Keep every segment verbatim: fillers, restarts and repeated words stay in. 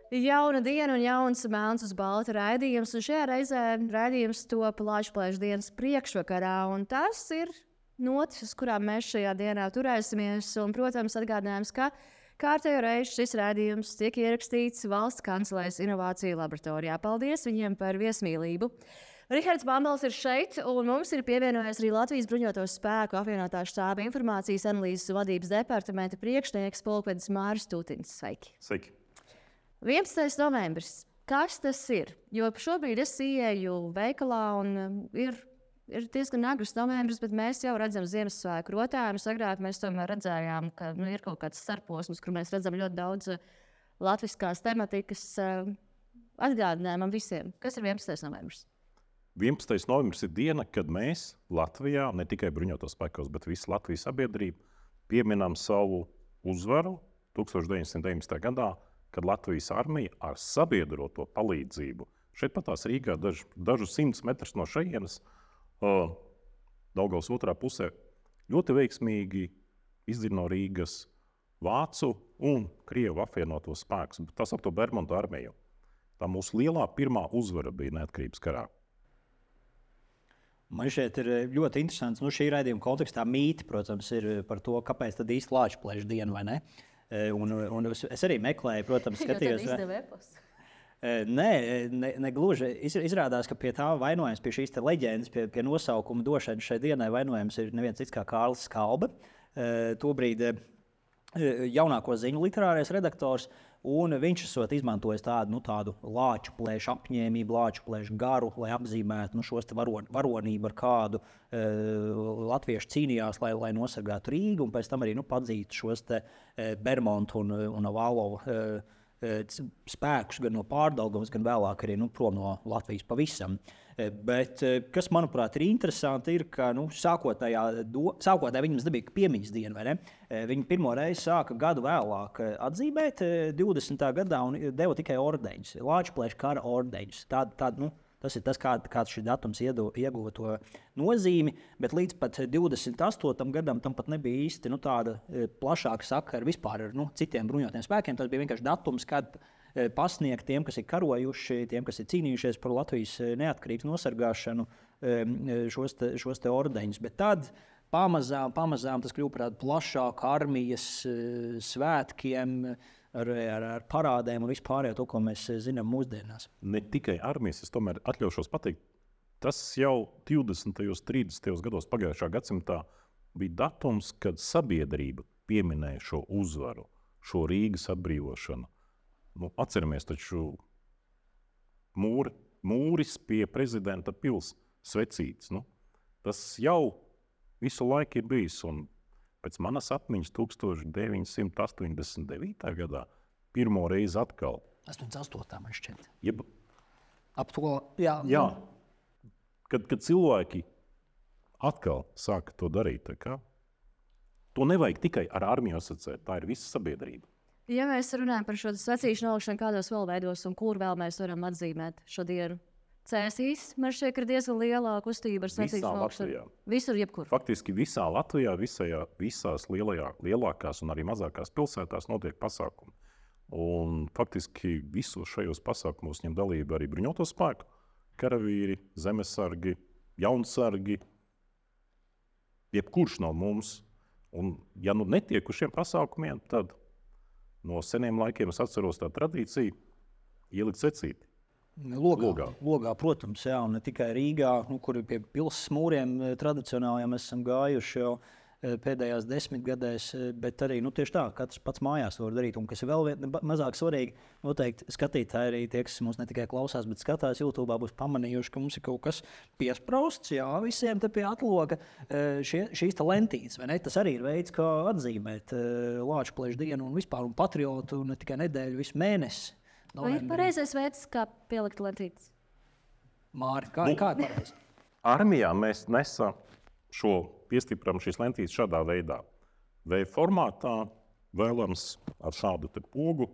Jauna diena un jauns melns uz balta raidījums, un šajā reizē raidījums top Latvijas dienas priekšvakarā, un tas ir notis, uz kurām mēs šajā dienā turēsimies, un, protams, atgādinājums, ka kārtējo reizi šis raidījums tiek ierakstīts Valsts kancelēs inovāciju laboratorijā. Paldies viņiem par viesmīlību! Rihards Bambals ir šeit, un mums ir pievienojies arī Latvijas bruņoto spēku apvienotā štāba informācijas analīzes vadības departamenta priekšnieks pulkvedis Māris Tūtiņš. Sveiki! Sveiki! vienpadsmitais novembris. Kas tas ir? Jo šobrīd es ieeju veikalā un ir, ir diezgan agrs novembris, bet mēs jau redzam Ziemassvētku rotājumus. Agrāk mēs tomēr redzējām, ka nu, ir kaut kāds starposms, kur mēs redzam ļoti daudz latviskās tematikas atgādinājumam visiem. Kas ir vienpadsmitais novembris? vienpadsmitais novembris ir diena, kad mēs Latvijā, ne tikai bruņotos spēkos, bet visa Latvijas sabiedrība pieminam savu uzvaru tūkstoš deviņsimt deviņdesmitajā gadā, kad Latvijas armija ar sabiedroto palīdzību, šeit patās Rīgā daž, dažus simtus metrus no šejienes, uh, Daugavas otrā pusē, ļoti veiksmīgi izdzina no Rīgas Vācu un Krievu apvienotos spēkus. Tā saucamo Bermontu armiju. Tā mūsu lielā pirmā uzvara bija neatkarības karā. Man šeit ir ļoti interesants, nu šī raidījuma kontekstā mīti, protams, ir par to, kāpēc tad īsti Lāčplēša diena, vai ne? Un, un es arī meklēju, protams, skatījos. Nē, ne, ne gluži. Izrādās, ka pie tā vainojams, pie šīs leģendas, pie, pie nosaukuma došanas šai dienai vainojams ir neviens cits kā Kārlis Skalbe. Tobrīd jaunāko ziņu literārais redaktors, un viņš esot izmantojis tādu, nu, tādu lāču plēšu apņēmību, lāču plēšu garu, lai apzīmētu nu, šos varon, varonību, ar kādu e, latvieši cīnījās, lai, lai nosargātu Rīgu, un pēc tam arī nu, padzītu šos te, e, Bermontu un, un Avalovu e, spēkus gan no Pārdaugavas, gan vēlāk arī nu, prom no Latvijas pavisam. Bet, kas, manuprāt, ir interesanti, ir, ka nu, sākotnējā, do, sākotnējā viņam nebija piemiņas diena, vai ne? Viņi pirmo reizi sāka gadu vēlāk atzīmēt divdesmitā gadā un deva tikai ordeņus, Lāčplēša kara ordeņus. Tād, tād, nu, tas ir tas, kā, kāds šis datums iedu, ieguva to nozīmi, bet līdz pat divdesmit astotam gadam tam pat nebija īsti nu, tāda plašāka sakara vispār ar nu, citiem bruņotiem spēkiem. Tas bija vienkārši datums, kad pasniegt tiem, kas ir karojuši, tiem, kas ir cīnījušies par Latvijas neatkarības nosargāšanu, šos te, šos te ordeņus. Bet tad pamazām, pamazām tas kļuva par tādu plašāku armijas svētkiem, ar, ar, ar parādēm un vispārējo to, ko mēs zinām mūsdienās. Ne tikai armijas, es tomēr atļaušos pateikt, tas jau divdesmitajos, trīsdesmitajos gados pagājušā gadsimtā bija datums, kad sabiedrība pieminēja šo uzvaru, šo Rīgas atbrīvošanu. Nu, atceramies taču mūri, mūris pie prezidenta pils svecīts. Nu, tas jau visu laiku ir bijis. Un pēc manas atmiņas tūkstoš deviņsimt astoņdesmit devītajā gadā pirmo reizi atkal. astoņdesmit astotā man šķiet. Jeb, Ap to, jā. jā. Kad, kad cilvēki atkal sāka to darīt, tā kā, to nevajag tikai ar armiju asociēt, tā ir visa sabiedrība. Ja mēs runājam par šo svecīšu nolikšanu, kādos vēl veidos un kur vēl mēs varam atzīmēt šo dienu? Cēsīs, man šķiet, ka ir diezgan lielā kustība ar svecīšu nolikšanu. Visur, jebkur. Faktiski visā Latvijā, visajā, visās lielajā, lielākās un arī mazākās pilsētās notiek pasākumi. Un faktiski visos šajos pasākumos ņem dalību arī bruņoto spēku, karavīri, zemesargi, jaunsargi, jebkurš no mums. Un ja nu netiek uz šiem pasākumiem, tad no seniem laikiem es atceros tā tradīciju ielikt secīti. Logā, Logā. Logā, protams, jā, un ne tikai Rīgā, nu, kur pie pilsas mūriem tradicionāli mēs esam gājuši jau pēdējās desmitgadēs, bet arī nu, tieši tā, katrs pats mājās var darīt. Un kas ir vēl vien, mazāk svarīgi, noteikti skatītāji arī tie, kas mums ne tikai klausās, bet skatās YouTube, būs pamanījuši, ka mums ir kaut kas piesprausts, jā, visiem te pie atloga šie, šīs lentītes, vai ne? Tas arī ir veids, kā atzīmēt Lāčplēša dienu un vispār un patriotu ne tikai nedēļu, visu mēnesi. Vai ir pareizais veids, kā pielikt lentītes? Māri, kā, Nu, kā ir pareizi? Armijā mēs nesam šo piestipram šīs lentītes šādā veidā. Vai formātā vēlams ar šādu te pogu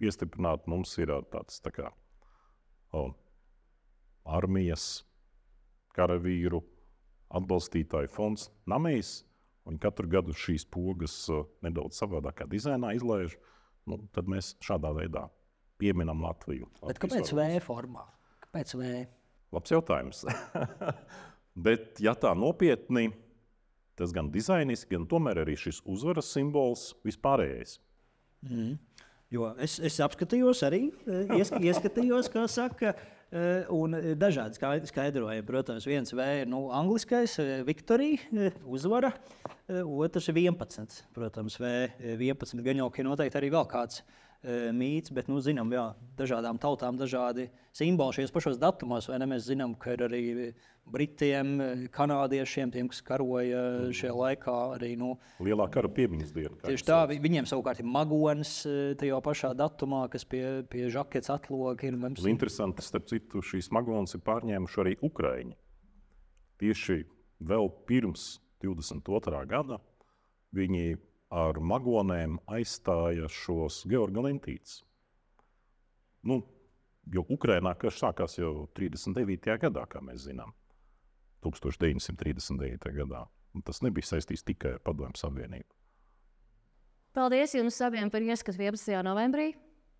piestiprināt, mums ir tāds tā kā o, armijas karavīru atbalstītāju fonds Namejs, un katru gadu šīs pogas o, nedaudz savādākā dizainā izlaiž, nu, tad mēs šādā veidā pieminam Latviju. Bet kāpēc V formā? Kāpēc V? Labs jautājums. Bet, ja tā nopietni, tas gan dizainiski, gan tomēr arī šis uzvaras simbols vispārējais. Mm. Jo es, es apskatījos arī, iesk, ieskatījos, kā saka, un dažādi skaidrojumi. Protams, viens V ir nu, angliskais, Victory, uzvara, otrs ir vienpadsmit. Protams, V vienpadsmit gan jau, ka noteikti arī vēl kāds mīts, bet, nu, zinām, jā, dažādām tautām dažādi simboli šajos pašos datumos, vai ne? Mēs zinām, ka ir arī Britiem, kanādiešiem, tiem, kas karoja šajā laikā arī, nu... Lielā kara piemiņas diena. Tieši tā, viņiem savukārt ir magonis tajā pašā datumā, kas pie, pie žaketes atloga ir. Mums... Interesanti, starp citu, šīs magonis ir pārņēmuši arī Ukraiņi. Tieši vēl pirms divdesmit otrā gada viņi ar magonēm aizstāja šos Georga Lentītes. Nu, jo Ukrainā karš sākās jau trīsdesmit devītajā gadā, kā mēs zinām, tūkstoš deviņsimt trīsdesmit devītajā gadā. Un tas nebija saistīts tikai ar Padomju Savienību. Paldies jums abiem par ieskatu vienpadsmitajā novembrī.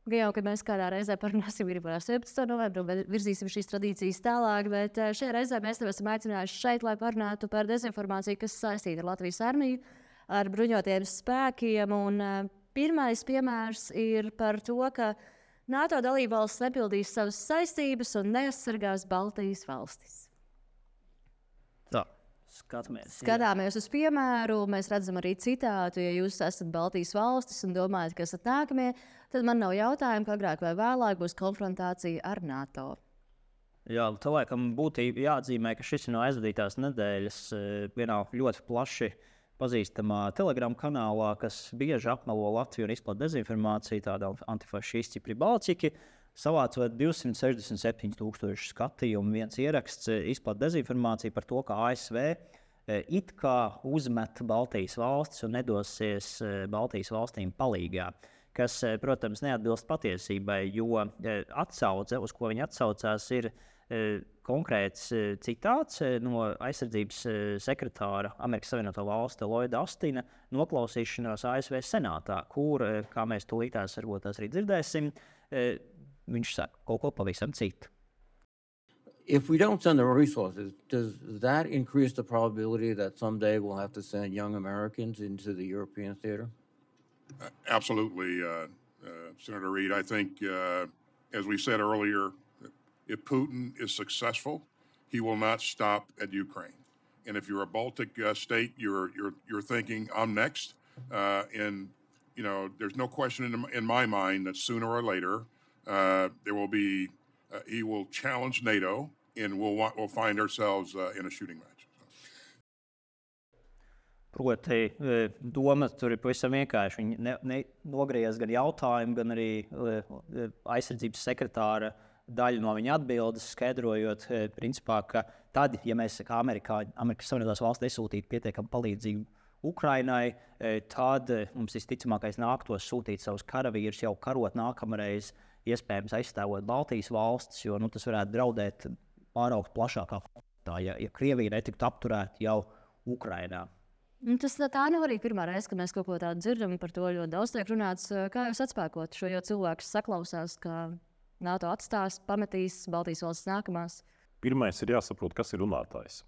Jau, kad mēs kādā reizē parunāsim arī par septiņpadsmito novembru un virzīsim šīs tradīcijas tālāk, bet šajā reizē mēs tev esam aicinājuši šeit, lai parunātu par dezinformāciju, kas saistīta ar Latvijas armiju, ar bruņotajiem spēkiem. Un, uh, pirmais piemērs ir par to, ka NATO dalībvalstis nepildīs savas saistības un neaizsargās Baltijas valstis. Tā, skatāmies. Skatāmies uz piemēru, mēs redzam arī citātu. Ja jūs esat Baltijas valstis un domājat, ka esat nākamie, tad man nav jautājumu, ka agrāk vai vēlāk būs konfrontācija ar NATO. Jā, tā laikam būtu jāatzīmē, ka šis ir no aizvadītās nedēļas vienā ļoti plaši pazīstamā Telegram kanālā, kas bieži apmelo Latviju un izplata dezinformāciju, tāda antifašisti Pribalciki, savācot divsimt sešdesmit septiņi tūkstoši skatījumu. Viens ieraksts izplata dezinformāciju par to, ka A S V it kā uzmet Baltijas valstis un nedosies Baltijas valstīm palīgā, kas, protams, neatbilst patiesībai, jo atsauce, uz ko viņi atsaucās, ir konkrēts citāts no aizsardzības sekretāra Amerikas Savienoto Valstu Lloyda Austina noklausīšanās A S V senātā, kur, kā mēs tūlītās varbūt tās arī dzirdēsim, viņš saka kaut ko pavisam citu. If we don't send the resources, does that increase the probability that someday we'll have to send young Americans into the European theater? Uh, absolutely, uh, uh, Senator Reid. I think, uh, as we said earlier, if Putin is successful, he will not stop at Ukraine. And if you're a Baltic uh, state, you're you're you're thinking, I'm next. Uh, and you know, there's no question in, in my mind that sooner or later uh, there will be. Uh, he will challenge NATO, and we'll want, we'll find ourselves uh, in a shooting match. Proti, doma tur ir pavisam vienkārši. Viņi ne, ne, nogriez gan jautājumu, gan arī aizsardzības sekretāra daļu no viņa atbildes, skaidrojot, principā, ka tad, ja mēs kā Amerikā, Amerikas Savienotās valsts nesūtītu pietiekami palīdzību Ukrainai, tad mums visticamākais nāktos sūtīt savus karavīrus jau karot nākamreiz, iespējams aizstāvot Baltijas valstis, jo nu, tas varētu draudēt pāraugt plašākā konfliktā, ja, ja Krievija netiktu apturēta jau Ukrainā. Tas tā nav arī pirmā reize, kad mēs kaut ko tādu dzirdam, par to ļoti daudz tiek runāts. Kā jūs atspēkot šo, jo cilvēks saklausās, ka NATO atstās, pametīs Baltijas valsts nākamās? Pirmais ir jāsaprot, kas ir runātājs.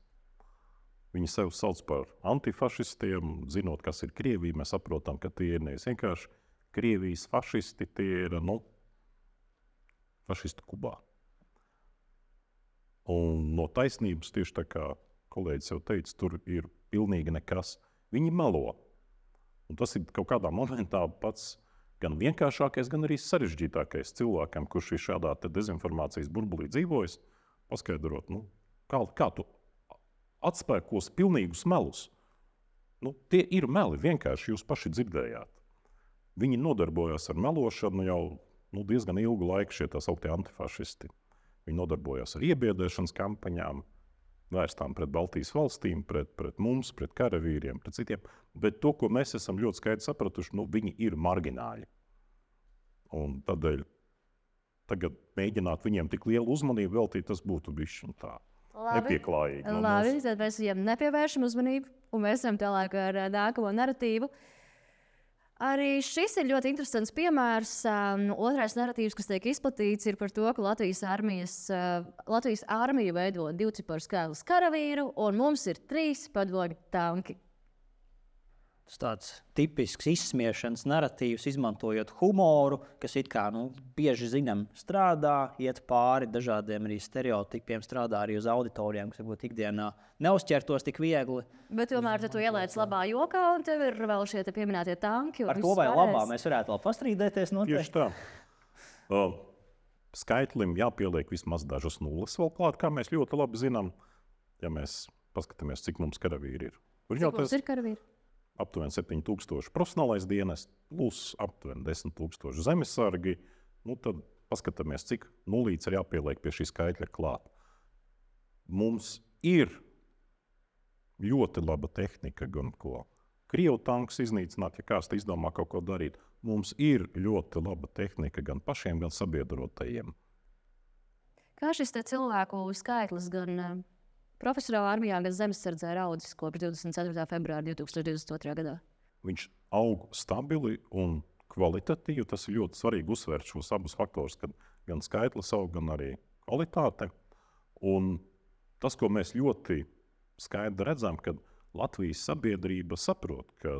Viņi sev sauc par antifašistiem, zinot, kas ir Krievija. Mēs saprotam, ka tie ir nevis vienkārši Krievijas fašisti, tie ir nu, fašisti Kubā. Un no taisnības, tieši tā kā kolēģis jau teica, tur ir pilnīgi nekas. Viņi melo. Un tas ir kaut kādā momentā pats gan vienkāršākais, gan arī sarežģītākais cilvēkam, kurš ir šādā dezinformācijas burbulī dzīvojis, paskaidrot, nu, kā, kā tu atspēkos pilnīgus melus. Nu, tie ir meli, vienkārši jūs paši dzirdējāt. Viņi nodarbojas ar melošanu jau nu, diezgan ilgu laiku, šie tā sauktie antifašisti. Viņi nodarbojas ar iebiedēšanas kampaņām, vērstām pret Baltijas valstīm, pret, pret mums, pret karavīriem, pret citiem. Bet to, ko mēs esam ļoti skaidri sapratuši, nu, viņi ir margināļi. Un tādēļ tagad mēģināt viņiem tik lielu uzmanību veltīt, tas būtu bišķi un tā nepieklājīgi. No Labi, tad mēs viņiem nepievēršam uzmanību, un mēs esam tālāk ar nākamo naratīvu. Arī šis ir ļoti interesants piemērs. Um, otrais narratīvs, kas tiek izplatīts, ir par to, ka Latvijas, armijas, uh, Latvijas armija veido divciparu skaitlis karavīru, un mums ir trīs padomju tanki. Tas tāds tipisks izsmiešanas narratīvs, izmantojot humoru, kas it kā nu, bieži zinām strādā, iet pāri dažādiem arī stereotipiem, strādā arī uz auditorijām, kas varbūt ikdienā neuzķertos tik viegli. Bet tomēr tu ielaic labā jokā, un tev ir vēl šie te pieminētie tanki. Ar to vai labā mēs varētu vēl pastrīdēties noteikti. Tieši tā. Uh, skaitlim jāpieliek vismaz dažas nulles vēl klāt, kā mēs ļoti labi zinām, ja mēs paskatāmies, cik mums karavīri ir. Cik mums ir karavīri? Aptuveni septiņi tūkstoši profesionālais dienests, plus aptuveni desmit tūkstoši zemesargi. Nu, tad paskatāmies, cik nulīts ir jāpieliek pie šī skaitļa klāt. Mums ir ļoti laba tehnika, gan ko Krievu tankus iznīcināt, ja kāds izdomā kaut ko darīt. Mums ir ļoti laba tehnika gan pašiem, gan sabiedrotajiem. Kā šis te cilvēku skaitlis gan profesionālā armijā, gan zemesardzē ir audzis kopš divdesmit ceturtā februāra divi tūkstoši divdesmit otrā gadā? Viņš aug stabili un kvalitatīvi. Tas ir ļoti svarīgi uzsvērt šos abus faktorus, kad gan skaitlis aug, gan arī kvalitāte. Un tas, ko mēs ļoti skaidri redzam, kad Latvijas sabiedrība saprot, ka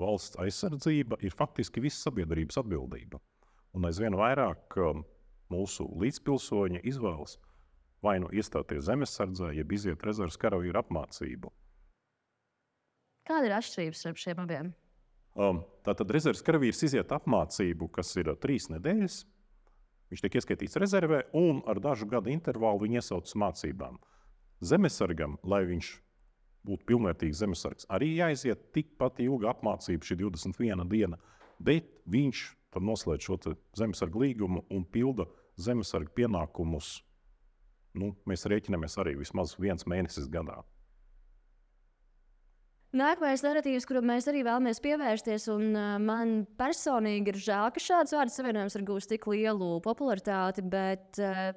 valsts aizsardzība ir faktiski visas sabiedrības atbildība. Un aizvien vairāk mūsu līdzpilsoņi izvēlas vai nu iestāties zemesardzē, jeb iziet rezerves karavīru apmācību. Kāda ir atšķirības starp šiem abiem? Um, tātad rezerves karavīrs iziet apmācību, kas ir trīs nedēļas. Viņš tiek ieskaitīts rezervē un ar dažu gadu intervālu viņu iesauc uz mācībām. Zemesargam, lai viņš būtu pilnvērtīgs zemesargs, arī jāiziet tikpat ilga apmācība, šī divdesmit viena diena, bet viņš tad noslēdz šo zemesargu līgumu un pilda zemesarga pienākumus. Nu, mēs rēķinamies arī vismaz viens mēnesis gadā. Nākamais narratīvs, kuru mēs arī vēlamies pievērsties, un uh, man personīgi ir žēl, ka šāds vārdu savienojums ir gūst tik lielu popularitāti, bet uh,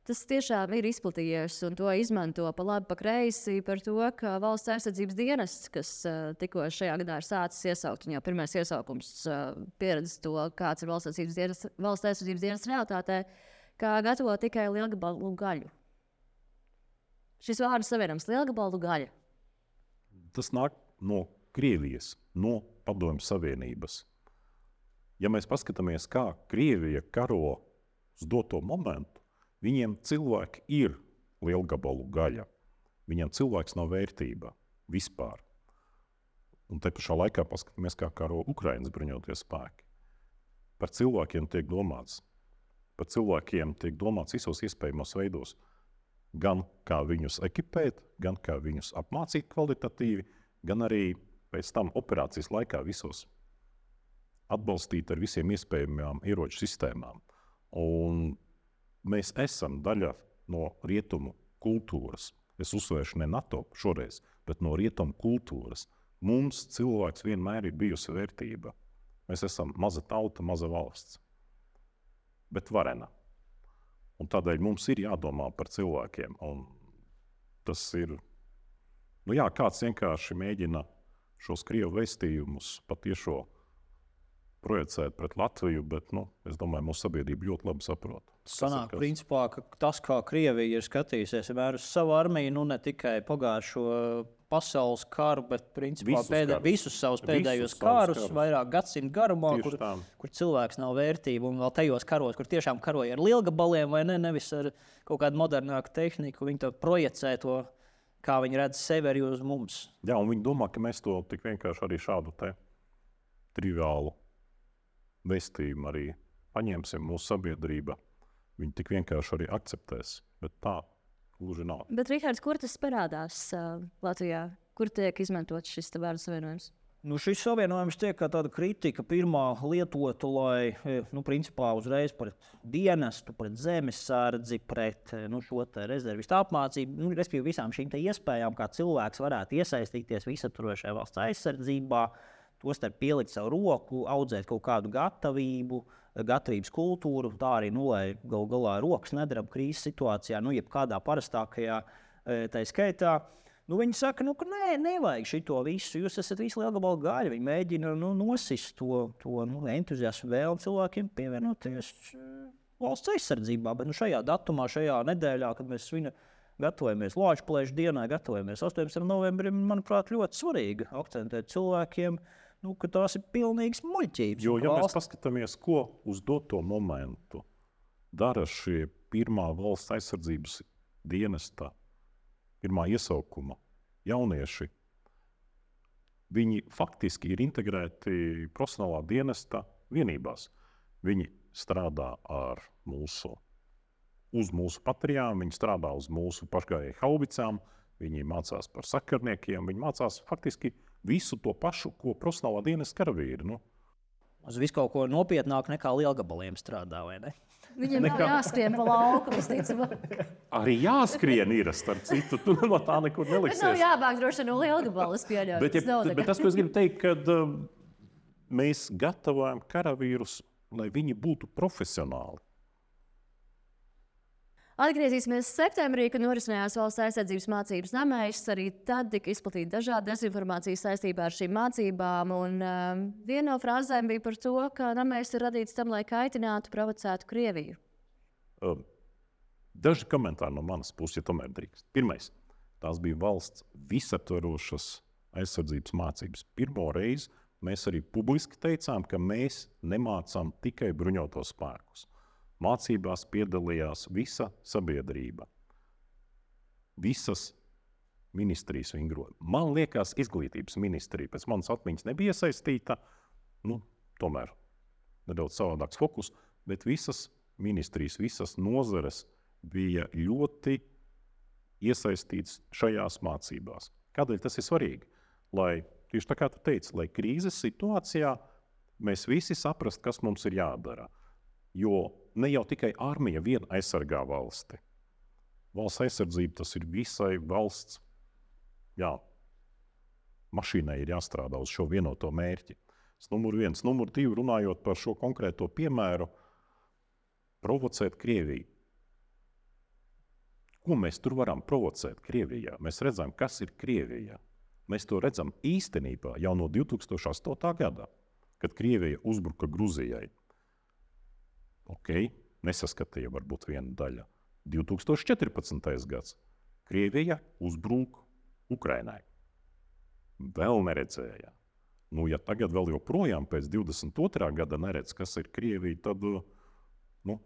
tas tiešām ir izplatījies, un to izmanto pa labi, pa kreisi par to, ka valsts aizsardzības dienests, kas uh, tikko šajā gadā ir sācis iesaukt, un jau pirmais iesaukums uh, pieredz to, kāds ir valsts aizsardzības dienests, valsts aizsardzības dienests realitātē, kā gatavo tikai lielgabalu gaļu. Šis vārds savienojums lielgabalu gaļa. Tas nāk no Krievijas, no Padomju Savienības. Ja mēs paskatāmies, kā Krievija karo uz doto momentu, viņiem cilvēki ir lielgabalu gaļa. Viņiem cilvēks nav vērtība vispār. Un te pašā laikā paskatāmies, kā karo Ukrainas bruņotie spēki. Par cilvēkiem tiek domāts. Par cilvēkiem tiek domāts visos iespējamos veidos. Gan kā viņus ekipēt, gan kā viņus apmācīt kvalitatīvi, gan arī pēc tam operācijas laikā visos atbalstīt ar visiem iespējamām ieroču sistēmām. Un mēs esam daļa no rietumu kultūras. Es uzsvēršu ne NATO šoreiz, bet no rietumu kultūras. Mums cilvēks vienmēr ir bijusi vērtība. Mēs esam maza tauta, maza valsts, bet varena. Un tādēļ mums ir jādomā par cilvēkiem. Un tas ir, nu jā, kāds vienkārši mēģina šos Krievu vēstījumus patiešo projicēt pret Latviju, bet, nu, es domāju, mūsu sabiedrība ļoti labi saprot. Sanāk, principā, ka tas, kā Krievija ir skatījusies vienmēr uz savu armiju, nu ne tikai pagājušo pasaules karu, bet principā Visus pēdē, karus. visus savus pēdējos Visus savus karus, karus. vairāk gadsimtu garumā, Tieši kur, tā. kur cilvēks nav vērtība, un vēl tajos karos, kur tiešām karoja ar lielgabaliem, vai ne, nevis ar kaut kādu modernāku tehniku, viņi to projicē to, kā viņi redz sevi arī uz mums. Jā, un viņi domā, ka mēs to tik vienkārši arī šādu te triviālu vēstījumu arī paņemsim mūsu sabiedrība. Viņi tik vienkārši arī akceptēs, bet tā gluži nav. Bet, Rihards, kur tas parādās uh, Latvijā? Kur tiek izmantots šis vārdu savienojums? Nu, šis savienojums tiek kā tāda kritika pirmā lietota, lai, nu, principā uzreiz pret dienestu, pret zemesardzi, pret nu, šo te rezervistu apmācību, nu, respektīvi visām šīm te iespējām, kā cilvēks varētu iesaistīties visaptvarošajā valsts aizsardzībā, tostarp pielikt savu roku, audzēt kaut kādu gatavību, gatavības kultūru, tā arī, nu, lai galu galā rokas nedarab krīzes situācijā, nu, jebkādā parastākajā tā skaitā. Nu, viņi saka, nu, ka nē, nevajag šito visu. Jūs esat visi lielgabalu gaļi. Viņi mēģina nu, nosist to, to nu, entuziasmu vēlmu cilvēkiem pievienoties valsts aizsardzībā. Bet nu, šajā datumā, šajā nedēļā, kad mēs svina, gatavojamies Lāčplēša dienai, gatavojamies astoņpadsmitajam novembrim, manuprāt, ļoti svarīgi akcentēt cilvēkiem, nu, ka tās ir pilnīgas muļķības. Jo, ja valsts... mēs paskatāmies, ko uz doto momentu dara šie pirmā valsts aizsardzības dienesta, pirmā iesaukuma jaunieši, viņi faktiski ir integrēti profesionālā dienesta vienībās. Viņi strādā ar mūsu, uz mūsu patrijām, viņi strādā uz mūsu pašgājēju haubicām, viņi mācās par sakarniekiem, viņi mācās faktiski visu to pašu, ko profesionālā dienesta karavīri. Nu. Uz visu kaut ko nopietnāk nekā lielgabaliem strādā, vai ne? Viņiem nav jāskrien pa lauku, visticamāk. Arī jāskrien ir, starp citu, tu no tā nekur Bet nav neliksies. jābāk droši no lielgabalas pieļaut. Bet, Tas nav ja, tā bet kā- tas, ko es gribu teikt, kad um, mēs gatavojam karavīrus, lai viņi būtu profesionāli. Atgriezīsimies septembrī, kad norisinājās valsts aizsardzības mācības namēs. Arī tad tika izplatīta dažāda dezinformācija saistībā ar šīm mācībām. Un, um, viena no frāzēm bija par to, ka namēs ir radīts tam, lai kaitinātu, provocētu Krieviju. Um, daži komentāri no manas puses, ja tomēr drīkst. Pirmais, tās bija valsts visaptverošas aizsardzības mācības. Pirmo reizi mēs arī publiski teicām, ka mēs nemācām tikai bruņotos spēkus. Mācībās piedalījās visa sabiedrība, visas ministrijas vingroja. Man liekas, izglītības ministrija pēc manas atmiņas nebija iesaistīta, nu, tomēr nedaudz savādāks fokus, bet visas ministrijas, visas nozares bija ļoti iesaistītas šajās mācībās. Kādēļ tas ir svarīgi? Lai, tieši tā kā tu teici, lai krīzes situācijā mēs visi saprast, kas mums ir jādara. Jo ne jau tikai armija vien aizsargā valsti. Valsts aizsardzība tas ir visai valsts. Jā, mašīnai ir jāstrādā uz šo vienoto mērķi. Tas numur viens. Numur divi, runājot par šo konkrēto piemēru, provocēt Krieviju. Ko mēs tur varam provocēt Krievijā? Mēs redzam, kas ir Krievija. Mēs to redzam īstenībā jau no divi tūkstoši astotā gada, kad Krievija uzbruka Gruzijai. Ok, nesaskatīja varbūt viena daļa. divi tūkstoši četrpadsmitais gads. Krievija uzbruk Ukrainai. Vēl neredzēja. Nu, ja tagad vēl joprojām pēc divdesmit otrā gada neredz, kas ir Krievija, tad, nu,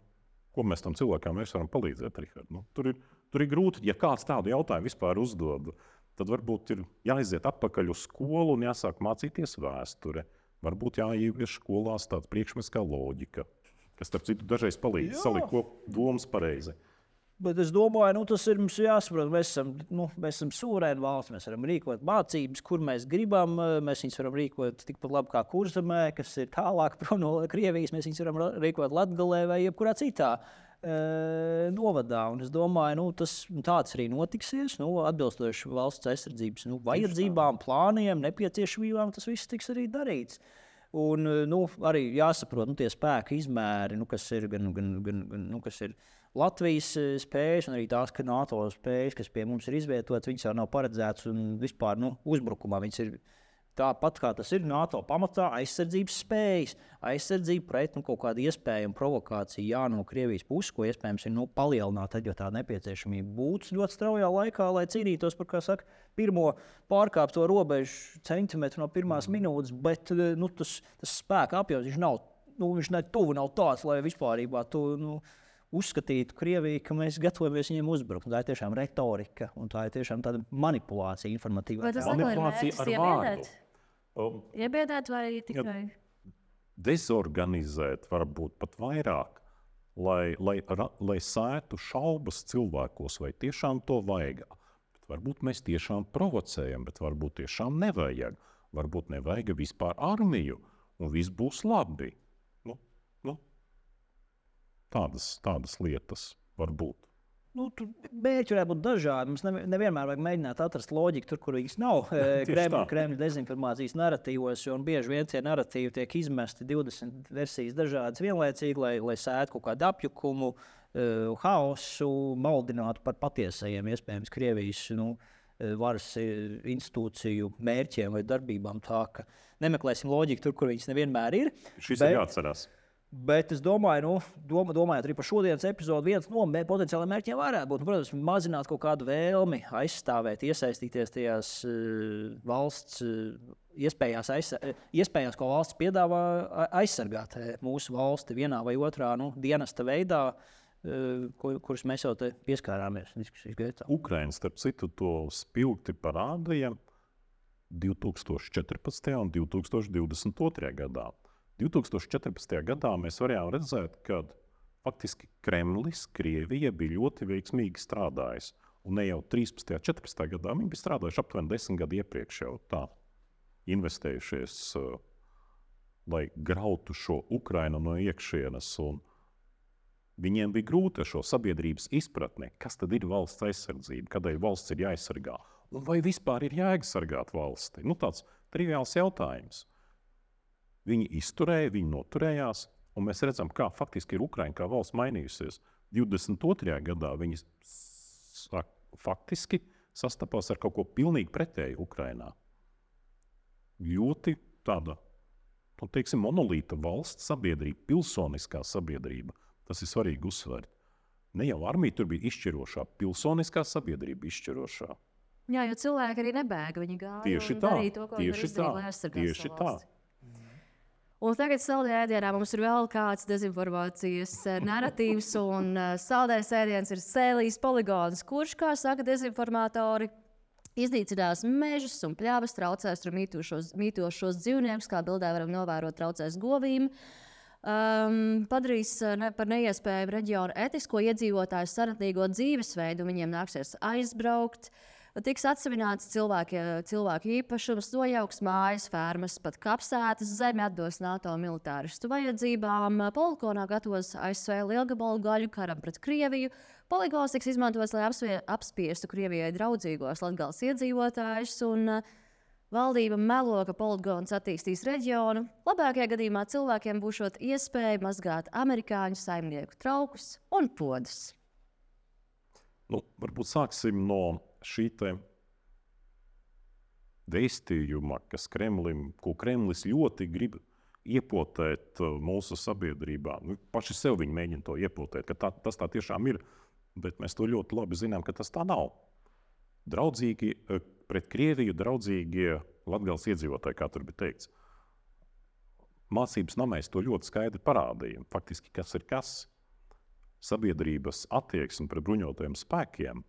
ko mēs tam cilvēkam vairs varam palīdzēt, Rihard? Nu, tur, ir, tur ir grūti, ja kāds tādu jautājumu vispār uzdod, tad varbūt ir jāiziet atpakaļ uz skolu un jāsāk mācīties vēsture. Varbūt jāievieš skolās tāds priekšmets kā loģika, kas, starp citu, dažreiz palīdz Jā. salikt ko domas pareizi. Bet es domāju, nu, tas ir mums jāsaprot. Mēs esam, nu, mēs esam suverēna valsts. Mēs varam rīkot mācības, kur mēs gribam. Mēs viņus varam rīkot tikpat labi kā Kurzemē, kas ir tālāk prom no Krievijas. Mēs viņus varam rīkot Latgalē vai jebkurā citā e, novadā. Un es domāju, nu, tas tāds arī notiksies. Nu, atbilstoši valsts aizsardzības nu, vajadzībām, plāniem, nepieciešamībām, tas viss tiks arī darīts. Un, nu, arī jāsaprot nu, tie spēka izmēri, nu, kas ir gan, gan, gan, gan nu, kas ir Latvijas spējas, un arī tās, ka NATO spējas, kas pie mums ir izvietotas, viņas jau nav paredzētas un vispār nu, uzbrukumā. Viņas ir tāpat kā tas ir NATO pamatā, aizsardzības spējas, aizsardzība pret nu, kaut kādu iespējamu provokāciju jā, no Krievijas puses, ko iespējams ir nu, palielināt, tad, jo tā nepieciešamība būtu ļoti straujā laikā, lai cīnītos par, kā saka, pirmo pārkāpto robežu centimetru no pirmās minūtes, bet nu, tas, tas spēka apjoms, viņš nav, nu, viņš ne tuvu nav tāds, lai vispārībā tu nu, uzskatītu Krieviju, ka mēs gatavojamies viņiem uzbrukt. Tā ir tiešām retorika, un tā ir tiešām tāda manipulācija informatīvā. Vai tas atkal ir Manipulācija mērķis ar iebiedēt? vārdu. Um, Iebiedēt vai tikai? dezorganizēt, varbūt pat vairāk, lai, lai, ra- lai sētu šaubas cilvēkos, vai tiešām to vajag. Bet varbūt mēs tiešām provocējam, bet varbūt tiešām nevajag. Varbūt nevajag vispār armiju, un viss būs labi. Nu, nu, tādas, tādas lietas var būt. Nu, tur mērķi varētu būt dažādi. Mums nevi- nevienmēr vajag mēģināt atrast loģiku tur, kur viņas nav. Eh, Tieši Kremļa, tā. Kremļa dezinformācijas narratīvos, jo un bieži vien tie narratīvi tiek izmesti divdesmit versijas dažādas vienlaicīgi, lai, lai sētu kaut kādu apjukumu, uh, haosu, maldinātu par patiesajiem, iespējams, Krievijas nu, varas institūciju mērķiem vai darbībām. Tā ka nemeklēsim loģiku tur, kur viņas nevienmēr ir. Šis bet, ir jāatcerās. Bet es domāju, nu, doma, domājot arī par šodienas epizodu, viens no potenciāliem mērķiem varētu būt, nu, protams, mazināt kaut kādu vēlmi aizstāvēt, iesaistīties tajās uh, valsts uh, iespējās, aiz, iespējās, ko valsts piedāvā aizsargāt mūsu valsti vienā vai otrā nu, dienesta veidā, uh, kur, kurus mēs jau te pieskārāmies diskusijas gaitā. Ukraina, starp citu, to spilgti parādīja divi tūkstoši četrpadsmitajā un divi tūkstoši divdesmit otrajā gadā. divi tūkstoši četrpadsmitajā gadā mēs varējām redzēt, ka faktiski Kremlis, Krievija bija ļoti veiksmīgi strādājis. Un ne jau trīspadsmitajā, četrpadsmitajā gadā viņi bija strādājuši aptuveni desmit gadu iepriekš jau tā, investējušies, uh, lai grautu šo Ukrainu no iekšienes. Un viņiem bija grūti ar šo sabiedrības izpratni, kas tad ir valsts aizsardzība, kādēļ valsts ir jāaizsargā. Un vai vispār ir jāaizsargāt valsti? Nu, tāds triviāls jautājums. Viņi izturēja, viņi noturējās, un mēs redzam, kā faktiski ir Ukraina kā valsts mainījusies. divdesmit otrajā gadā viņi faktiski sastapās ar kaut ko pilnīgi pretēju Ukrainā. Ļoti tāda, nu, teiksim, monolīta valsts sabiedrība, pilsoniskā sabiedrība. Tas ir svarīgi uzsvērt. Ne jau armija tur bija izšķirošā, pilsoniskā sabiedrība izšķirošā. Jā, jo cilvēki arī nebēga, viņi gāja Tieši un tā, darīja to, ko viņi var tieši izdarīt, tā, lai aizsargātu tieši savu tā. valsti. Un tagad saldējā ēdienā mums ir vēl kāds dezinformācijas narratīvs, un saldējais ēdiens ir Sēlijas poligons, kurš, kā saka dezinformatori, iznīcinās mežus un pļavas, traucēs tur mītošos, mītošos dzīvniekus, kā bildē varam novērot, traucēs govīm. Um, padarīs ne, par neiespējamu reģionu etisko iedzīvotāju saratnīgo dzīvesveidu, viņiem nāksies aizbraukt. Tiks atsevināts cilvēki, cilvēku īpašums, nojauks mājas, fermas, pat kapsētas, zemi atdos NATO militāristu vajadzībām. Poligonā gatavos A S V lielgabalu gaļu karam pret Krieviju. Poligons tiks izmantots, lai apspie, apspiestu Krievijai draudzīgos Latgales iedzīvotājus, un uh, valdība melo, ka poligons attīstīs reģionu. Labākajā gadījumā cilvēkiem būšot iespēja mazgāt amerikāņu saimnieku traukus un podus. Nu, varbūt sāksim no šī te vēstījuma, kas Kremlim, ko Kremlis ļoti grib iepotēt mūsu sabiedrībā. Nu, paši sev viņi mēģina to iepotēt, ka tā, tas tā tiešām ir, bet mēs to ļoti labi zinām, ka tas tā nav. Draudzīgi, pret Krieviju draudzīgie Latgales iedzīvotāji, kā tur bija teikts. Mācības namēs to ļoti skaidri parādīja. Faktiski, kas ir kas? Sabiedrības attieksme pret bruņotajiem spēkiem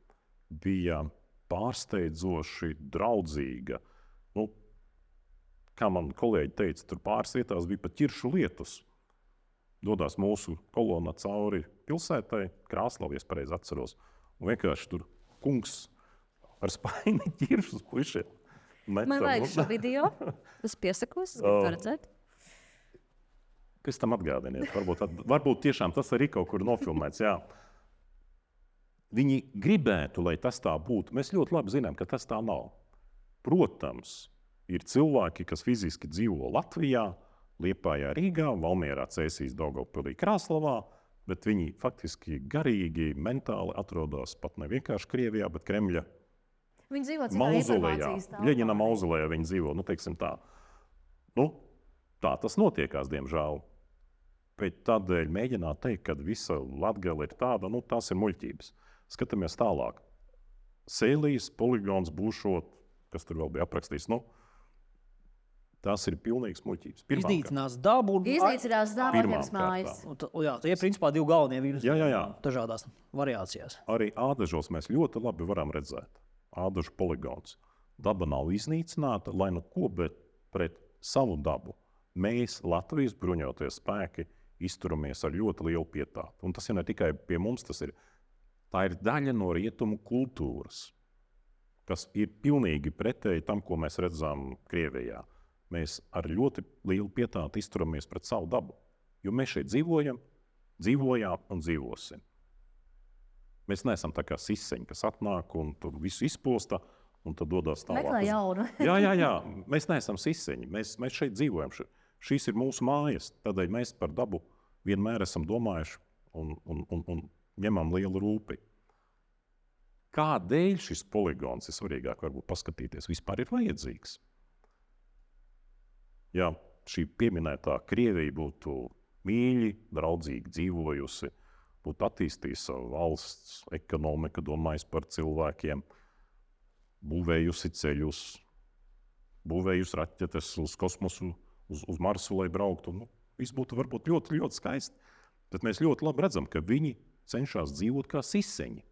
bija pārsteidzoši draudzīga. Nu, kā man kolēģi teica, tur pāris vietās bija pat ķiršu lietus. Dodās mūsu kolona cauri pilsētai, Krāslavu, ja es pareizi atceros, un vienkārši tur kungs ar spaini ķiršus puišiem. Man vajag šo video, es piesakos, oh. to redzēt. Kas tam atgādiniet? Varbūt, varbūt tiešām tas arī kaut kur nofilmēts, jā. Viņi gribētu, lai tas tā būtu. Mēs ļoti labi zinām, ka tas tā nav. Protams, ir cilvēki, kas fiziski dzīvo Latvijā, Liepājā, Rīgā, Valmierā, Cēsīs, Daugavpilī, Krāslavā, bet viņi faktiski garīgi, mentāli atrodas pat ne vienkārši Krievijā, bet Kremļa mauzolejā. Ļeņina mauzolejā viņi dzīvo, nu teiksim tā. Nu, tā tas notiekās, diemžēl. Bet tādēļ mēģināt teikt, ka visa Latgale ir tāda, nu tās ir muļķības. Skatāmies tālāk. Sēlijas poligons būšot, kas tur vēl bija aprakstīts, nu, tās ir pilnīgs muļķības. Iznīcinās dabu. Iznīcinās dabu pirms mājas. Jā, tie ir principā divi galvenie vīrusi. Jā, jā, jā. Dažādās variācijās. Arī Ādažos mēs ļoti labi varam redzēt. Ādažu poligons. Daba nav iznīcināta, lai nu ko, bet pret savu dabu mēs, Latvijas bruņotie spēki, izturamies ar ļoti lielu pietātu. Un tas ir ne tikai pie mums, tas ir Tā ir daļa no rietumu kultūras, kas ir pilnīgi pretēji tam, ko mēs redzam Krievijā. Mēs ar ļoti lielu pietātu izturamies pret savu dabu, jo mēs šeit dzīvojam, dzīvojām un dzīvosim. Mēs neesam tā kā siseņi, kas atnāk un tur visu izposta un tad dodas tālāk. Meklē jaunu. jā, jā, jā. Mēs neesam siseņi, mēs, mēs šeit dzīvojam. Šīs ir mūsu mājas, tādēļ mēs par dabu vienmēr esam domājuši un, un, un, un ņemam lielu rūpi. Kādēļ šis poligons ir svarīgāk, varbūt paskatīties, vispār ir vajadzīgs? Ja šī pieminētā Krievija būtu mīļi, draudzīgi dzīvojusi, būtu attīstījusi savu valsts ekonomiku, domājis par cilvēkiem, būvējusi ceļus, būvējusi raķetes uz kosmosu, uz, uz Marsu, lai brauktu. Nu, viss būtu varbūt ļoti, ļoti skaisti. Bet mēs ļoti labi redzam, ka viņi cenšas dzīvot kā siseņi,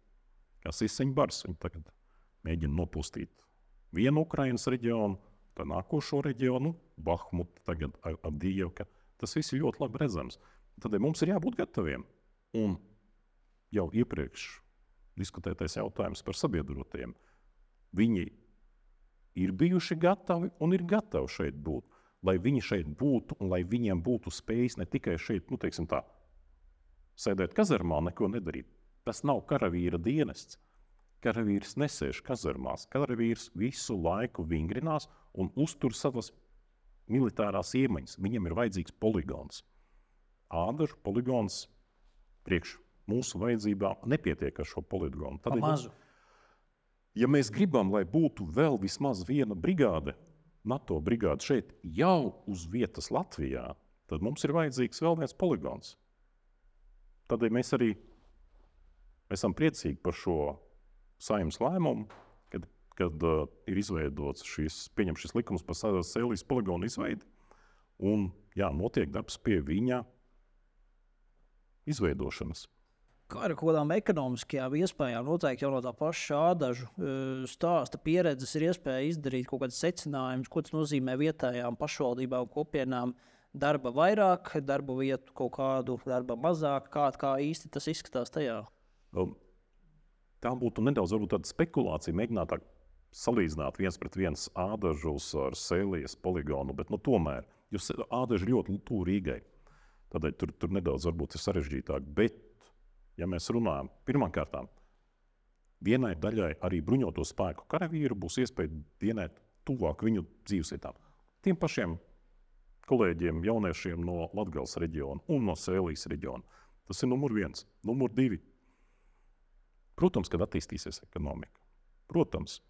kā siseņu bars. Viņi tagad mēģina nopustīt vienu Ukrainas reģionu, tad nākošo reģionu, Bahmutu, tagad Avdijevka. Tas viss ir ļoti labi redzams. Tad mums ir jābūt gataviem. Un jau iepriekš diskutētais jautājums par sabiedrotajiem. Viņi ir bijuši gatavi un ir gatavi šeit būt. Lai viņi šeit būtu un lai viņiem būtu spējas ne tikai šeit, nu teiksim tā, sēdēt kazarmā, neko nedarīt. Tas nav karavīra dienests. Karavīrs nesēž kazarmās. Karavīrs visu laiku vingrinās un uztur savas militārās iemaņas. Viņam ir vajadzīgs poligons. Ādažu poligons priekš mūsu vajadzībām nepietiek ar šo poligonu. Tad mazu. Ja mēs gribam, lai būtu vēl vismaz viena brigāde, NATO brigāde šeit jau uz vietas Latvijā, tad mums ir vajadzīgs vēl viens poligons. Tādēļ mēs arī esam priecīgi par šo Saeimas lēmumu, kad, kad uh, ir izveidots šis, pieņem šis likums par Sēlijas poligonu izveidi, un jā, notiek darbs pie viņa izveidošanas. Kā ar kādām ekonomiskajām iespējām, noteikti jau no tā paša Ādažu stāsta pieredzes ir iespēja izdarīt kaut kādus secinājumus, ko tas nozīmē vietējām pašvaldībām un kopienām darba vairāk, darba vietu kaut kādu, darba mazāk, kā, kā īsti tas izskatās tajā? Um, tā būtu nedaudz varbūt tāda spekulācija, mēģināt tā salīdzināt viens pret viens Ādažus ar Sēlijas poligonu, bet nu tomēr, jo Ādaži ļoti tuvu Rīgai, tādēļ tur, tur nedaudz varbūt ir sarežģītāk, bet ja mēs runājam, pirmkārtām, vienai daļai arī bruņoto spēku karavīru būs iespēja dienēt tuvāk viņu dzīvesvietām. Tiem pašiem kolēģiem, jauniešiem no Latgales reģiona un no Sēlijas reģiona. Tas ir numur viens. Numur divi. Protams, kad attīstīsies ekonomika. Protams,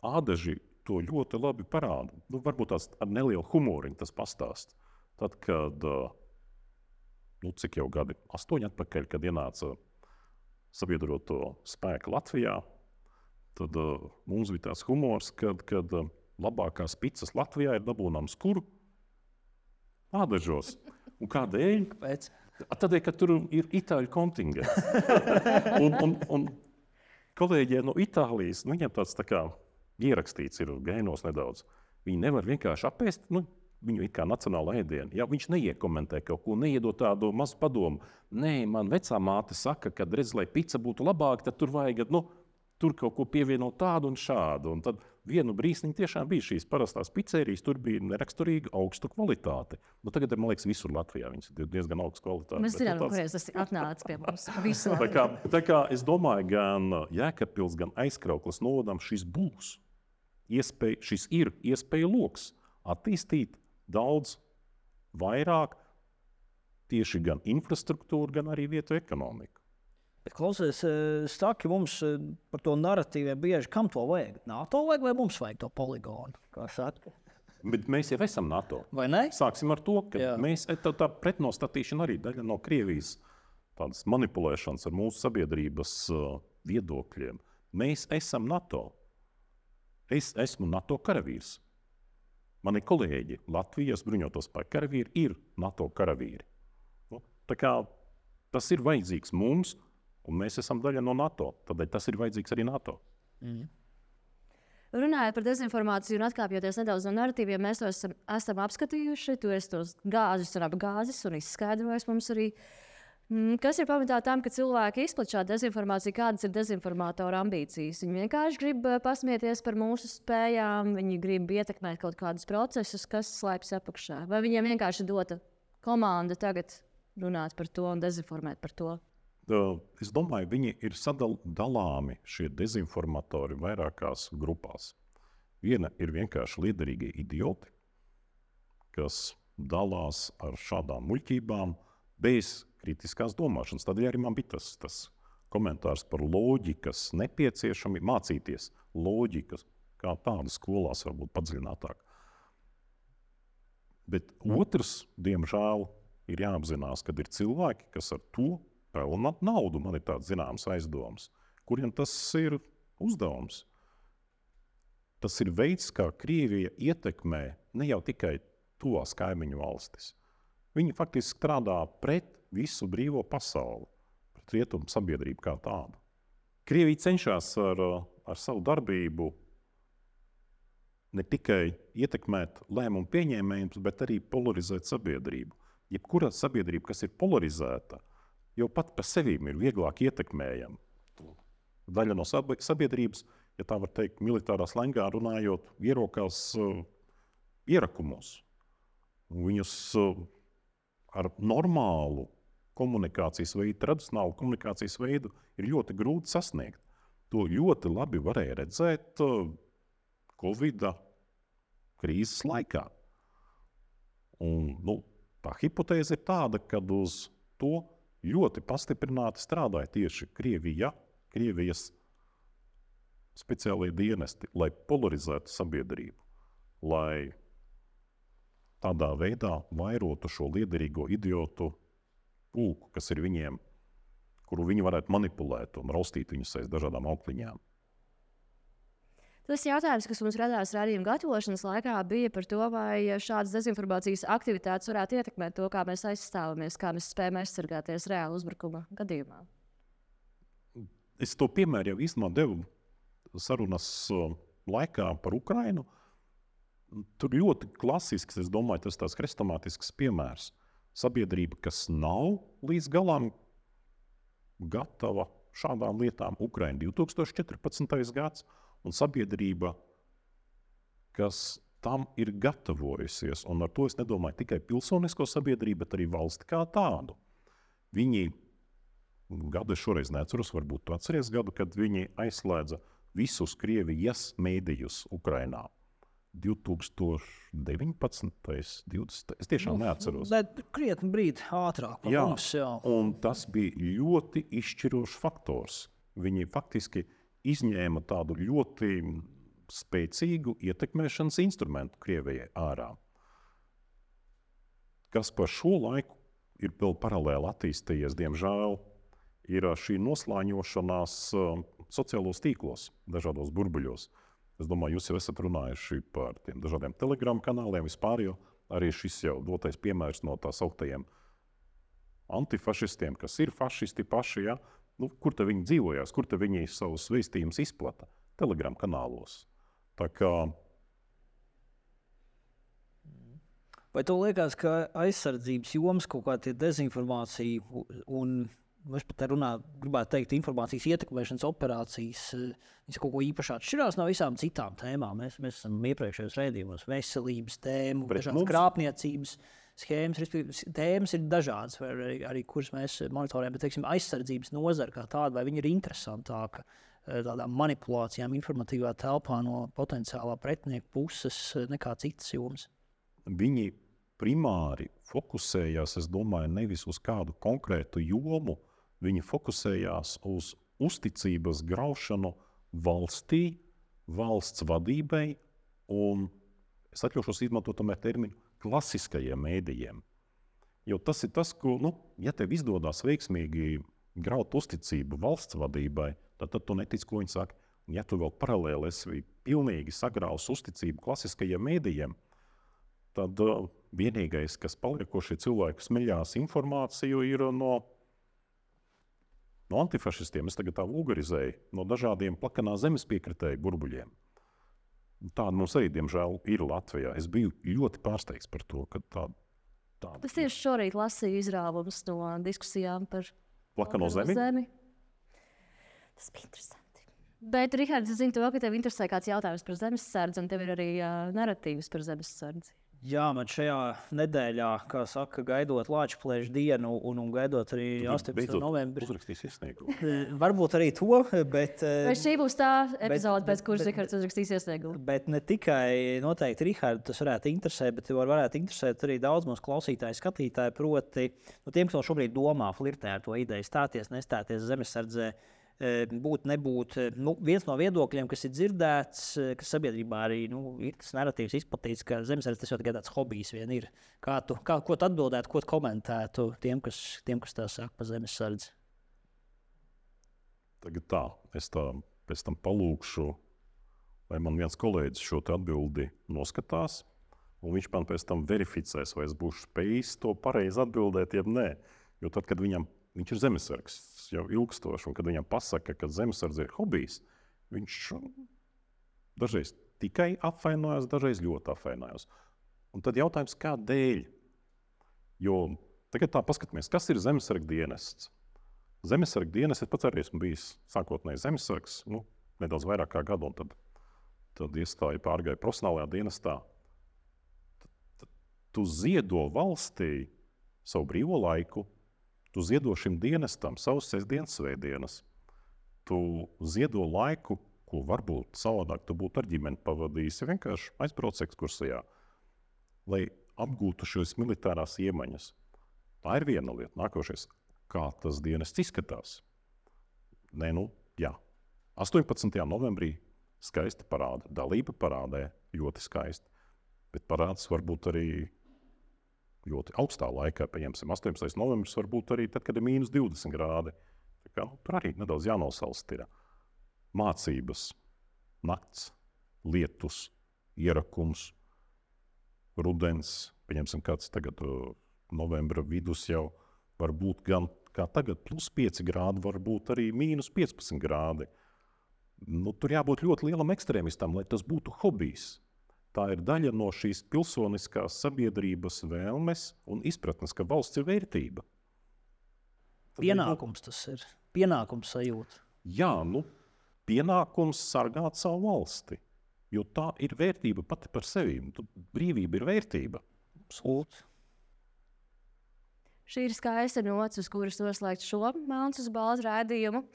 Ādaži to ļoti labi parāda. Nu, varbūt tās ar nelielu humoriņu tas pastāst. Tad, kad nu, cik jau gadi, astoņi atpakaļ, kad ienāca sabiedroto spēku Latvijā, tad uh, mums bija tās humors, kad, kad uh, labākās picas Latvijā ir dabūnams kur? Ādažos. Un kādēļ? Kāpēc? Tādēļ, ka tur ir itāļu kontingents. un, un, un kolēģiem no Itālijas, nu, viņiem tāds tā kā ierakstīts ir gainos nedaudz. Viņi nevar vienkārši apēst, nu, viņu it kā nacionāla ēdienu. Ja viņš neiekomentē kaut ko, neiedot tādu mazu padomu. Nē, man vecā māte saka, ka, redz, lai pica būtu labāka, tad tur vajag, nu, tur kaut ko pievienot tādu un šādu. Un tad vienu brīsniņu tiešām bija šīs parastās pizzerijas, tur bija neraksturīga augstu kvalitāti. Nu, tagad, man liekas, visur Latvijā viņas ir diezgan augstu kvalitāti. Mēs zinām, no kurienes tas atnāca pie mums. Visu tā kā, tā kā es domāju, gan Jēkabpils, gan Aizkraukles novadam šis būs. Iespēja, šis ir iespēja loks attīstīt daudz vairāk tieši gan infrastruktūru, gan arī vietu ekonomiku. Bet, klausies, Staki, mums par to narratīviem bieži, kam to vajag? NATO vajag vai mums vajag to poligonu? Kā saka? Bet mēs jau esam NATO. Vai ne? Sāksim ar to, ka Jā. mēs, tā, tā pretnostatīšana arī daļa no Krievijas tādas manipulēšanas ar mūsu sabiedrības uh, viedokļiem. Mēs esam NATO. Es esmu NATO karavīrs. Mani kolēģi Latvijas bruņoto spēku karavīri ir NATO karavīri. Nu, tā kā tas ir vajadzīgs mums, un mēs esam daļa no NATO. Tādēļ tas ir vajadzīgs arī NATO. Mm. Runājot par dezinformāciju un atkāpjoties nedaudz no narratīviem, mēs to esam, esam apskatījuši. Tu esi tos gāzes un apgāzes un izskaidrojis mums arī. Kas ir pamatā tam, ka cilvēki izplatīja šādu dezinformāciju, kādas ir dezinformātora ambīcijas? Viņi vienkārši grib pasmieties par mūsu spējām, viņi grib ietekmēt kaut kādus procesus, kas slēpjas apakšā. Vai viņiem vienkārši dota komanda tagad runāt par to un dezinformēt par to? Es domāju, viņi ir sadalāmi šie dezinformatori vairākās grupās. Viena ir vienkārši liederīgie idioti, kas dalās ar šādām muļķībām bez kritiskās domāšanas. Tādēļ arī man bija tas, tas komentārs par loģikas nepieciešamību, mācīties loģikas, kā tādu skolās varbūt padziļinātāk. Bet otrs, diemžēl, ir jāapzinās, kad ir cilvēki, kas ar to pelna naudu, man ir tāds zināms aizdoms, kuriem tas ir uzdevums. Tas ir veids, kā Krievija ietekmē ne jau tikai tuvās kaimiņu valstis. Viņi faktiski strādā pret visu brīvo pasauli, pret rietumu sabiedrību kā tādu. Krievija cenšas ar, ar savu darbību ne tikai ietekmēt lēmumu pieņēmējus, bet arī polarizēt sabiedrību. Jebkura sabiedrība, kas ir polarizēta, jau pat par sevīm ir vieglāk ietekmējama. Daļa no sabiedrības, ja tā var teikt, militārā slengā runājot, ierokās uh, ierakumos. Viņus uh, ar normālu komunikācijas veidu, tradicionālu komunikācijas veidu ir ļoti grūti sasniegt. To ļoti labi varēja redzēt uh, Covid krīzes laikā. Un, nu, tā hipotēze ir tāda, ka uz to ļoti pastiprināti strādāja tieši Krievija, Krievijas speciālie dienesti, lai polarizētu sabiedrību, lai tādā veidā vairotu šo liederīgo idiotu pulku, kas ir viņiem, kuru viņi varētu manipulēt un raustīt viņus aiz dažādām aukliņām. Tas jautājums, kas mums radās raidījuma gatavošanas laikā, bija par to, vai šādas dezinformācijas aktivitātes varētu ietekmēt to, kā mēs aizstāvamies, kā mēs spējam aizsargāties reāli uzbrukuma gadījumā. Es to piemēru jau īstenībā devu sarunas laikā par Ukrainu. Tur ļoti klasisks, es domāju, tas tāds hrestomātisks piemērs. Sabiedrība, kas nav līdz galam gatava šādām lietām. Ukraina divi tūkstoši četrpadsmitais gads un sabiedrība, kas tam ir gatavojusies. Un ar to es nedomāju tikai pilsonisko sabiedrību, bet arī valsti kā tādu. Viņi, gadu es šoreiz neatceros, varbūt tu atceries gadu, kad viņi aizslēdza visus Krievijas mēdījus Ukrainā. divi tūkstoši deviņpadsmitais, divdesmitais Es tiešām nu, neatceros. Bet krietni brīdi ātrāk par jā, mums, jā. Un tas bija ļoti izšķirošs faktors. Viņi faktiski izņēma tādu ļoti spēcīgu ietekmēšanas instrumentu Krievijai ārā. Kas par šo laiku ir vēl paralēli attīstījies, diemžēl, ir šī noslāņošanās sociālos tīklos, dažādos burbuļos. Es domāju, jūs jau esat runājuši par tiem dažādiem telegramu kanāliem vispār, jo arī šis jau dotais piemērs no tā sauktajiem antifašistiem, kas ir fašisti paši, ja? Nu, kur te viņi dzīvojās, kur te viņi savus vēstījumus izplata? Telegram kanālos. Tā kā... Vai tev liekas, ka aizsardzības jomas kaut kā tie dezinformācija un, es pat runā, gribētu teikt, informācijas ietekmēšanas operācijas, viņas kaut ko īpaši atšķirās no visām citām tēmām? Mēs, mēs esam iepriekšējos raidījumos veselības tēmu, Pret dažādas mums... krāpniecības schēmas, respektīvi, tēmas ir dažādas, vai arī, arī kuras mēs monitorējam, bet, teiksim, aizsardzības nozara kā tāda, vai viņa ir interesantāka tādām manipulācijām informatīvā telpā no potenciālā pretinieka puses nekā citas jomas? Viņi primāri fokusējās, es domāju, nevis uz kādu konkrētu jomu, viņi fokusējās uz uzticības graušanu valstī, valsts vadībai un, es atļaušos izmantot tomēr terminu, klasiskajiem mēdījiem. Jo tas ir tas, ko, nu, ja tev izdodas veiksmīgi graut uzticību valsts vadībai, tad, tad tu netic, ko viņi saka. Ja tu vēl paralēli esi pilnīgi sagraus uzticību klasiskajiem mēdījiem, tad uh, vienīgais, kas paliekošie cilvēki smeļās informāciju, ir no, no antifašistiem, es tagad tā vulgarizēju, no dažādiem plakanā zemes piekritēju burbuļiem. Tāda mums arī, diemžēl, ir Latvijā. Es biju ļoti pārsteigts par to, ka tāda... tāda... Es tieši šorīt lasīju izrāvumus no diskusijām par plakano zemi. zemi. Tas bija interesanti. Bet, Rihards, es zinu to, ka tev interesē kāds jautājums par zemesardzi, un tev ir arī uh, narratīvs par zemesardzi. Jā, man šajā nedēļā, kā saka, gaidot Lāčplēša dienu un, un gaidot arī astoņpadsmitā novembrī. Uzrakstīs iesniegumu. Varbūt arī to, bet... Vai šī būs tā epizode, pēc kuras Rihards uzrakstīs iesniegumu? Bet ne tikai noteikti Rihardu tas varētu interesēt, bet var, varētu interesēt arī daudz mūsu klausītāju, skatītāju, proti, nu, tiem, kas vēl šobrīd domā, flirtē ar to ideju, stāties, nestāties zemesardzē, būt, nebūt. Nu, viens no viedokļiem, kas ir dzirdēts, kas sabiedrībā arī nu, ir tas narratīvs izplatīts, ka zemesardze tas jau tikai tāds hobijs vien ir. Kā tu, kā, ko tu atbildētu, ko tu komentētu tiem, kas, tiem, kas tā saka par zemesardzi? Tagad tā, es tā pēc tam palūkšu, lai man viens kolēģis šo atbildi noskatās, un viņš man pēc tam verificēs, vai es būšu spējis to pareizi atbildēt, jeb nē. Jo tad, kad viņam viņš ir zemesargs jau ilgstoši, un kad viņam pasaka, ka zemesardze ir hobijs, viņš dažreiz tikai apvainojās, dažreiz ļoti apvainojās. Un tad jautājums, kādēļ? Jo tagad tā paskatāmies, kas ir zemesarga dienests? Zemesarga dienests, es pats arī esmu bijis sākotnēji zemesargs, nu, nedaudz vairāk kā gadu, un tad, tad iestāju pārgāju profesionālajā dienestā. Tad, tad tu ziedo valstī savu brīvo laiku, tu ziedo šim dienestam savus sestdienas, svētdienas. Tu ziedo laiku, ko varbūt savādāk tu būtu ar ģimeni pavadījis, ja vienkārši aizbrauc ekskursijā, lai apgūtu šīs militārās iemaņas. Tā ir viena lieta. Nākošais, kā tas dienests izskatās. Nē, nu, jā. astoņpadsmitajā novembrī skaisti parāda. Dalība parādē ļoti skaisti. Bet parāds varbūt arī ļoti augstā laikā, pieņemsim, astoņpadsmitais novembris, varbūt arī tad, kad ir mīnus divdesmit grādi. Tā kā, nu, tur arī nedaudz jānosalst ir mācības, nakts, lietus, ierakums, rudens, pieņemsim, kāds tagad novembra vidus jau var būt gan kā tagad plus pieci grādi, var būt arī mīnus piecpadsmit grādi. Nu, tur jābūt ļoti lielam ekstrēmistam, lai tas būtu hobijs. Tā ir daļa no šīs pilsoniskās sabiedrības vēlmes un izpratnes, ka valsts ir vērtība. Tad pienākums tas ir. Pienākums sajūta. Jā, nu, pienākums sargāt savu valsti. Jo tā ir vērtība pati par sevi. Brīvība ir vērtība. Absolūti. Šī ir skaista nots, uz kuras noslēgt šo melns uz baltu raidījumu.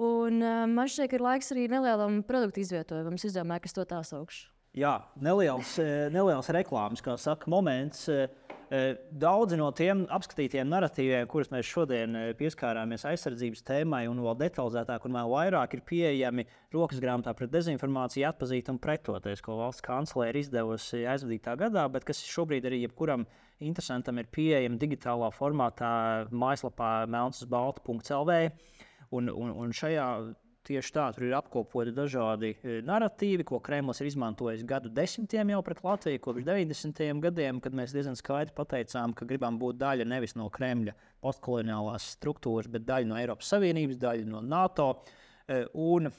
Un uh, man šķiet, ka ir laiks arī nelielam produktu izvietojumam. Es izdomāju, kas to tā saukšu. Jā, neliels, neliels reklāmas, kā saka, moments. Daudzi no tiem apskatītiem narratīviem, kurus mēs šodien pieskārāmies aizsardzības tēmai un vēl detalizētāk un vēl vairāk, ir pieejami rokas grāmatā pret dezinformāciju atpazīt un pretoties, ko valsts kanclere ir izdevusi aizvadītā gadā, bet kas šobrīd arī jebkuram interesantam ir pieejami digitālā formātā mājaslapā melns uz baltu punkts el vē. Un, un, un šajā tieši tā, tur ir apkopoti dažādi narratīvi, ko Kremlis ir izmantojis gadu desmitiem jau pret Latviju, kopš deviņdesmitajiem gadiem, kad mēs diezgan skaidri pateicām, ka gribam būt daļa nevis no Kremļa postkoloniālās struktūras, bet daļa no Eiropas Savienības, daļa no NATO. Un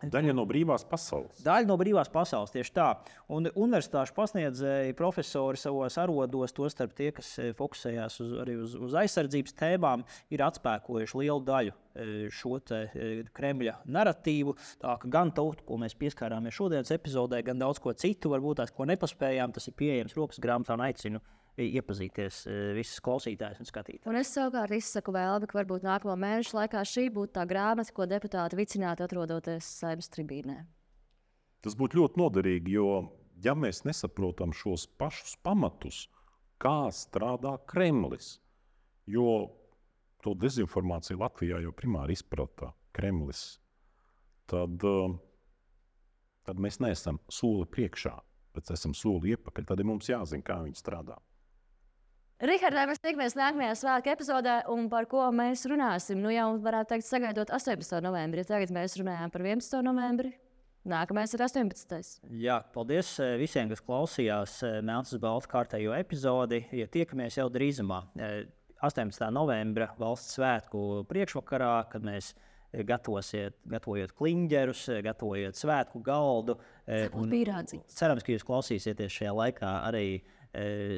Daļa no brīvās pasaules. Daļa no brīvās pasaules, tieši tā. Un universitāšu pasniedzēji, profesori savos arodos, tostarp tie, kas fokusējās uz, arī uz, uz aizsardzības tēmām, ir atspēkojuši lielu daļu šo te Kremļa narratīvu. Tā ka gan to, ko mēs pieskārāmies šodienas epizodē, gan daudz ko citu, varbūt tās, ko nepaspējām, tas ir pieejams rokas grāmatā un aicinu iepazīties visas klausītājas un skatītājas. Un es savukārt izsaku vēlmi, ka varbūt nākamo mēnešu laikā šī būtu tā grāmata, ko deputāti vicinātu atrodoties Saeimas tribīnē. Tas būtu ļoti noderīgi, jo ja mēs nesaprotam šos pašus pamatus, kā strādā Kremlis, jo to dezinformāciju Latvijā jau primāri izprata Kremlis, tad, tad mēs neesam soli priekšā, bet esam soli iepakaļ, tad ir mums jāzina, kā viņi strādā. Rihardai, mēs tiekamies nākamajā svētku epizodē, un par ko mēs runāsim. Nu jau varētu teikt, sagaidot astoņpadsmitā novembri. Tagad mēs runājām par vienpadsmito novembri. Nākamais ir astoņpadsmitais Jā, paldies visiem, kas klausījās Melns uz baltu kārtējo epizodi. Ja tiekamies jau drīzumā, astoņpadsmitā novembra valsts svētku priekšvakarā, kad mēs gatavosiet, gatavojot kliņģerus, gatavojot svētku galdu. Cerams, ka jūs klausīsieties šajā laikā arī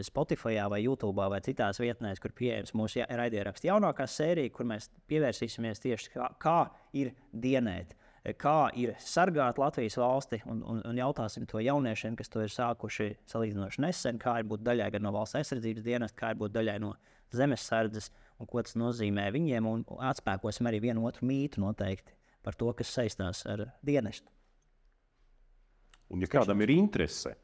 Spotify vai YouTube vai citās vietnēs, kur pieejams mūsu raidierakstu jaunākā sērija, kur mēs pievērsīsimies tieši kā, kā ir dienēt kā ir sargāt Latvijas valsti, un, un, un jautāsim to jauniešiem, kas to ir sākuši salīdzinoši nesen, kā ir būt daļai gan no valsts aizsardzības dienesta, kā ir būt daļai no zemesardzes, un ko tas nozīmē viņiem, un atspēkosim arī vienu otru mītu noteikti par to, kas saistās ar dienestu. Un ja kādam ir interese,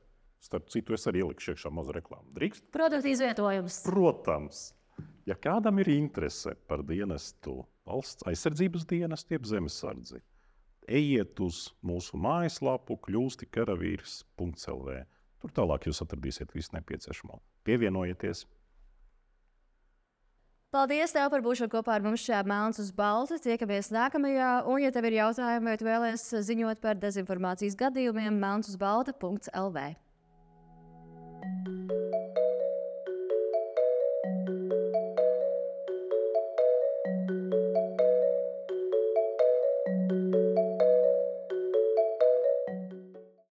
starp citu, es arī ielikšu iekšā mazu reklāmu. Drīkst? Produktu izvietojums. Protams. Ja kādam ir interese par dienestu, valsts aizsardzības dienestu, jeb zemesardzi, ejiet uz mūsu mājaslapu kļūsti karavīrs punkts el vē. Tur tālāk jūs atradīsiet visu nepieciešamo. Pievienojieties! Paldies tev par būšanu kopā ar mums šajā Melns uz balta. Tiekamies nākamajā, un, ja tev ir jautājumi vai tu vēlies ziņot par dezinformācijas gadījumiem, melns uz balta punkts el vē.